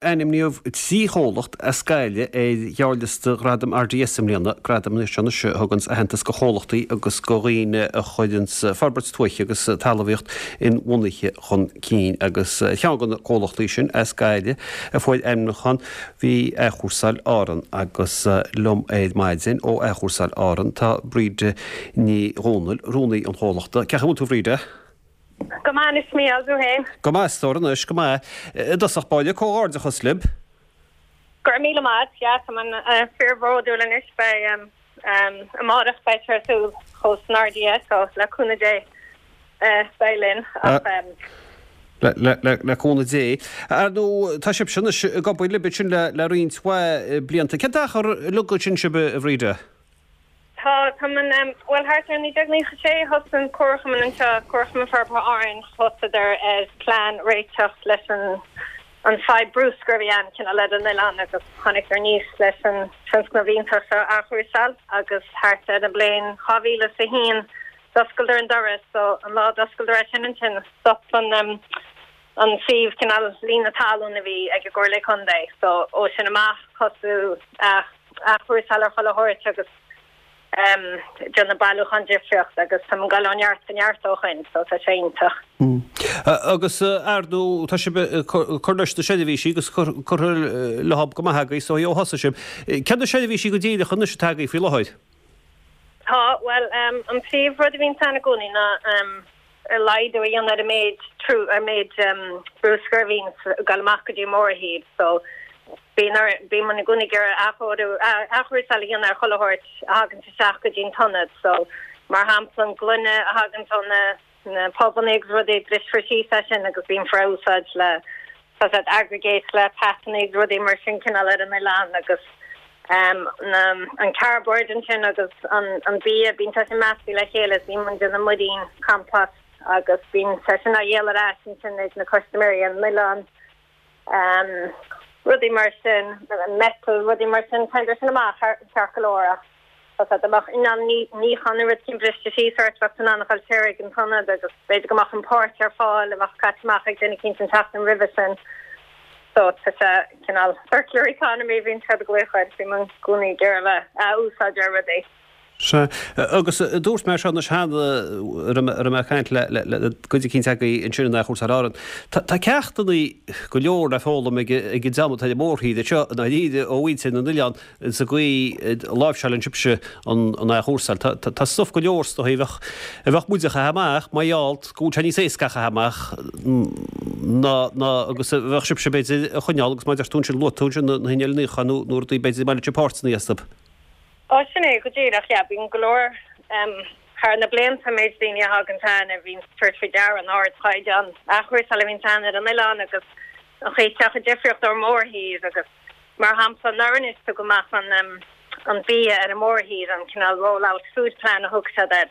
Ainmníodh 3 chomhlacht as Gaillimh ar ghearrliosta Ghradaim RDS i mbliana, gradam anois a thuganns aitheantas go chomhlachtaí agus go dhaoine a chuireanns forbairt tuaithe agus talmhaíocht inbhuanaithe chun cinn. Agus ar cheann de na comhlachtaí sin as Gaillimh a fuair ainmniúchán bhí Athchúrsáil Árann agus liom ar maidin ó Athchúrsáil Árann tá Bríde Ní Dhomhnaill, rúnaí an chomhlachta. Cén chaoi a bhfuil tú a Bhríde? Go maith anois, Mícheál, thú fhéin? Go maith, a stór anois, go maith. I dtosach báire, comhghairdeachas libh. Go raibh míle maith a't, yeah, tá muid fíor-bhródúil anois, beidh, amárach beidh sé ar siúl thuas san RDS, so le cúnamh Dé beidh linn, ach. Le cúnamh Dé. Ar ndóigh, tá sibhse anois ag obair libh ansin le roinnt mhaith blianta. Cén t-achar uilig ansin sibh, a Bhríde? Tá, tá muid, bhuel thart ar 1996 thosaigh an Comharchumann anseo, Comharchumann Forbartha Árann, thosaíodar ar plean réiteach leis an an fadhb bruscair a bhí ann cineál ar an oileán agus tháinig aníos leis an tionscnamh iontach seo athchúrsáil agus thart ar an bliain 2001 d'oscaileadar an doras so an lá a d'oscaileadar é sin ansin stop an an suíomh cineál líonadh talún a bhí ag an gComhairle Contae so ó sin amach thosaigh athchúrsáil ar chuile shórt agus déanamh bailiúchán difríocht agus tá muid ag dul ó neart go neart ó shoin so tá sé iontach. Agus ar ndóigh tá sibh ag cur leis na seirbhísí agus curtha leo go maith agaibh so ó thosaigh sibh. Céard na seirbhísí go díreach anois atá agaibh faoi láthair? Tá, bhuel an príomh rud a bhíonn ann i gcónaí ná laghdú a dhéanamh ar an méid ar an méid bruscair a bhíonn ag dul amach go dtí an mórthír so Bíonn orainn, bíonn muid i gcónaí ag iarraidh athchóiriú, athchúrsáil a dhéanamh ar chuile shórt a thaganns isteach go dtí an t-ionad. So, mar shampla, an gloine a thaganns ó na, na pubannaí agus rudaí, brisfear síos é sin agus déanfar é a úsáid le, tá a fhios agat, aggregate le peatannaí agus rudaí mar sin cineál ar an oileán agus ehm na, an cardboard ansin agus an, an bia, bíonn sé sin measctha le chéile is bíonn muid ag déanamh muirín, compost agus bíonn sé sin á dhíol ar ais ansin ag na custaiméirí ar an oileán. rudaí mar sin, metal, rudaí mar sin, téann sin amach ceart go leor ach tá sé, dá mbeadh inneall níocháin nó rud éicint briste síos ort, bheadh tú in ann a dhul siar ag an t-ionad agus b'fhéidir go mbeadh an páirt ar fáil a bheadh caite amach ag duine éicint an tseachtain roimhe sin. So tá sé cineál circular economy, bíonn siad ag glaoch air, bíonn muid i gcónaí ag iarraidh a bheith ag úsáid ar rudaí. Sea, agus dúirt mé seo anois cheana, a raibh mé ag caint le cuid eicínt agaibh ansin in Athchúrsáil Árann. Tá ceachtanna go leor le foghlaim ag an dream atá ar an mórthír anseo i ndáiríre ó mhuintir na n-oileán sa gcaoi a láimhseálann sibhse an athchúrsáil. Tá stuif go leor is dóigh a bheadh muid a chaitheamh amach mar gheall go bhfuil sé níos éasca a chaitheamh amach ná ná agus a bheadh sibhse b'fhéidir a choinneáil agus mar a deir tú ansin luaigh tú ansin na hinnill níocháin nó nó rudaí b'fhéidir a mbainfeadh sibh páirteanna astu. Ó, sin é go díreach, yeah. Bíonn go leor, thar na blianta, an méid daoine a thagann ann a bhíonn ag tabhairt faoi deara an ardchaighdeán athchúrsála a bhíonn ann ar an oileán agus an chaoi atá sé difríocht ón mórthír agus, mar shampla, anuraidh anois tugadh amach an an bia ar an mórthír, an cineál roll out food plan a thug siad air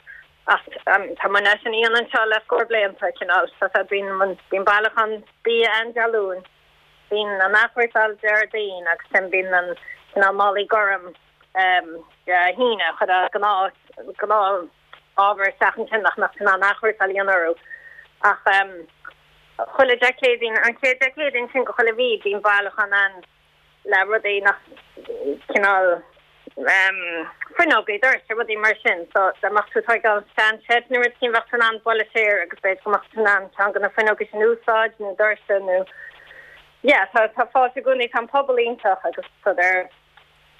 ach tá muid é sin a dhéanamh anseo le scór blianta, cineál, tá sé, bíonn, bíonn bailiúchán bia ann Dé Luain. Bíonn an athchúrsáil Déardaoin agus sin bíonn an cineál málaí gorm Dé hAoine chuir gnáth gnáth ábhar isteach ansin nach mbeadh in ann athchúrsáil a dhéanamh orthu. Ach chuile Dé Céadaoin, an chéad Dé Céadaoin sin de chuile mhí bíonn bailiúchán ann le rudaí nach cineál fuinneogaí, doirse, rudaí mar sin. So dá mbeadh tú ag tóigeáil sean shed nó rud éicint bheadh tú in ann bualadh siar agus b'fhéidir go mbeadh tú in ann ceann de na fuinneogaí sin a úsáid nó doirse nó yeah tá tá fáilte i gcónaí tá an pobal iontach agus tá ar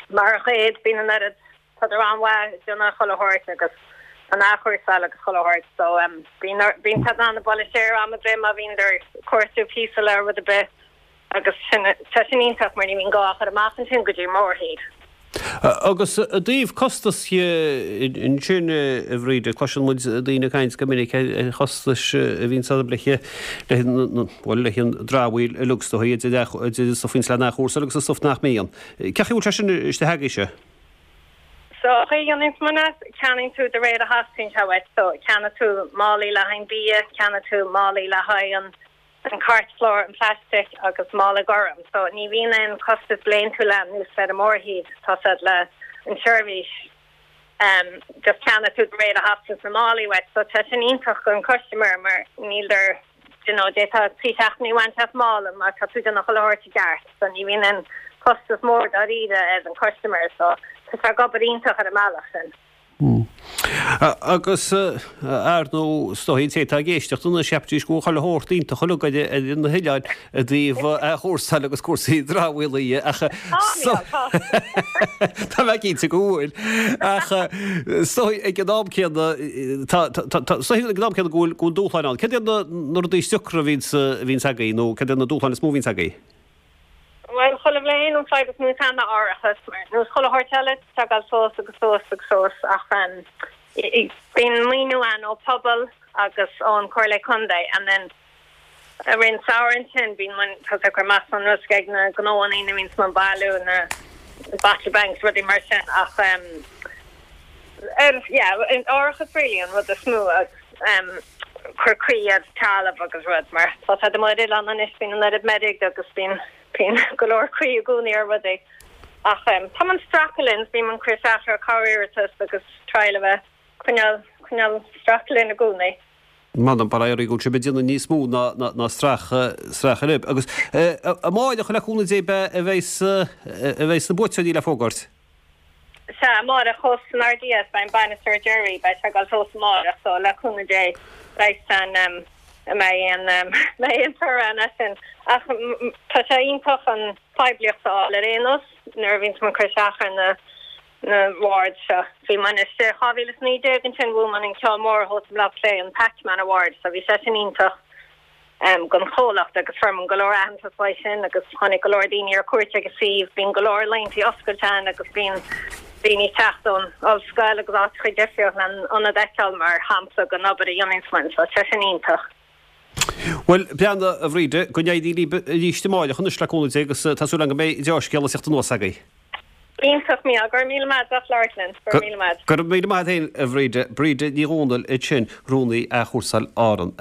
mar a chuid bíonn an oiread tá siad an-mhaith ag déanamh chuile shórt agus an athchúrsáil agus chuile shórt so bíonn bíonn siad in ann bualadh siar am ar bith má bhíonn ag cuartú píosa le rud ar bith. Agus sin, tá sin iontach mar ní bhíonn gá a chur amach ansin go dtí mórthír. Agus i dtaobh costas dhe ansin, a Bhríde, cloiseann muid daoine ag caint go minic ar chostais a bhíonn ann le, bhuel, leis an dramhaíl uilig is dóigh, idir an stuif a bhíonns le n-athchúrsáil agus an stuif nach mbíonn. Cén chaoi a bhfuil sé sin istigh agaibhse? So, an chaoi a dhéanann muid é, ceannaíonn tú de réir a theastaíonn sé uait. So, ceannaíonn tú málaí le haghaidh an bia, ceannaíonn tú málaí le haghaidh an an cairtchlár, an plastic agus mála gorm. So ní bhíonn aon costas bliantúil ann nós ar an mórthír, tá siad le an seirbhís um just ceannaíonn tú de réir a theastaíonn na málaí uait. So tá sin iontach don custaiméir mar níl ar. you know, d'fhéadfá 3 seachtainí a bhaint as mála má tá tú ag déanamh chuile shórt i gceart. So ní bhíonn aon chostas mór dáiríre ar an customer so tá sé ag obair iontach ar an mbealach sin. Agus, ar ndóigh, is dóigh an té atá ag éisteacht anois, cheapfaidís go bhfuil chuile shórt iontach uilig ar na hoileáin i dtaobh athchúrsáil agus cúrsaí dramhaíola dhe, ach tá mé cinnte go bhfuil. Ach is dóigh ag an am céanna, tá, tá, is dóigh ag an am céanna go bhfuil, go bhfuil dúshláin ann. Céard iad na, na rudaí is deacra a bhíonns, a bhíonns agaibh nó céard iad na dúshláin is mó a bhíonns agaibh? Bhuel, chuile bhliain an fadhb is mó atá ann ná árachas, mar nós chuile shórt eile, tá ag dul suas agus suas agus suas ach bíonn maoiniú ann ó pobal agus ón Comhairle Contae and then i rith an samhradh ansin bíonn muid tá ag cur amach sonrasc ag na gnóanna a bhíonns ag bailiú na bottle banks rudaí mar sin ach ar yeah árachas really an rud is mó agus cur caoi ar talamh agus rud mar tá sé amuigh ar oileán anois bíonn an oiread meirg agus bíonn bíonn go leor caoi i gcónaí ar rudaí ach tá muid ag stracadh linn bíonn muid ag cur isteach ar corr-iarratas agus triail a bheith coinneáil coinneáil stracadh linn i gcónaí. M'anam bar éirí go bhfuil sibh ag déanamh níos mó ná ná stracadh stracadh libh agus amáireach le cúnamh Dé a bheidh a bheidh na buaiteoirí le fógairt. Sea, amáireach thuas san RDS, beidh an bainis ar deireadh, beidh sé ag dul suas amáireach, so le cúnamh Dé, beidh san, an mbeidh aon, mbeidh aon toradh ann as sin. Ach tá sé iontach an phoiblíocht a fháil ar aon nós nuair a bhíonns muid ag cur isteach ar na, na awards seo. Bhí muid istigh 2019 ansin, bhuaigh muid an ceann mór thuas i mBaile Átha Cliath, an Pac-Man Award, so bhí sé sin iontach. don chomhlacht agus fuair muid go leor aitheantas uaidh sin agus tháinig go leor daoine ar cuairt ag an suíomh. Bíonn go leor laethanta oscailte ann agus bíonn daoine ag teacht ón ollscoil agus áiteacha difriúla len ionad a fheiceáil mar shampla den obair a dhéananns muid so tá sin iontach. Bhuel, breathnaigh, a Bhríde, go n-éirí libh arís amáireach anois le cúnamh Dé agus tá súil agam go mbeidh deá-scéala ag teacht anuas agaibh. Iontach, Mícheál. Go raibh míle maith as labhairt linn. Go raibh míle maith. Go raibh míle maith agat féin, a Bhríde. Bríde Ní Dhomhnaill ansin, Rúnaí Athchúrsáil Árann.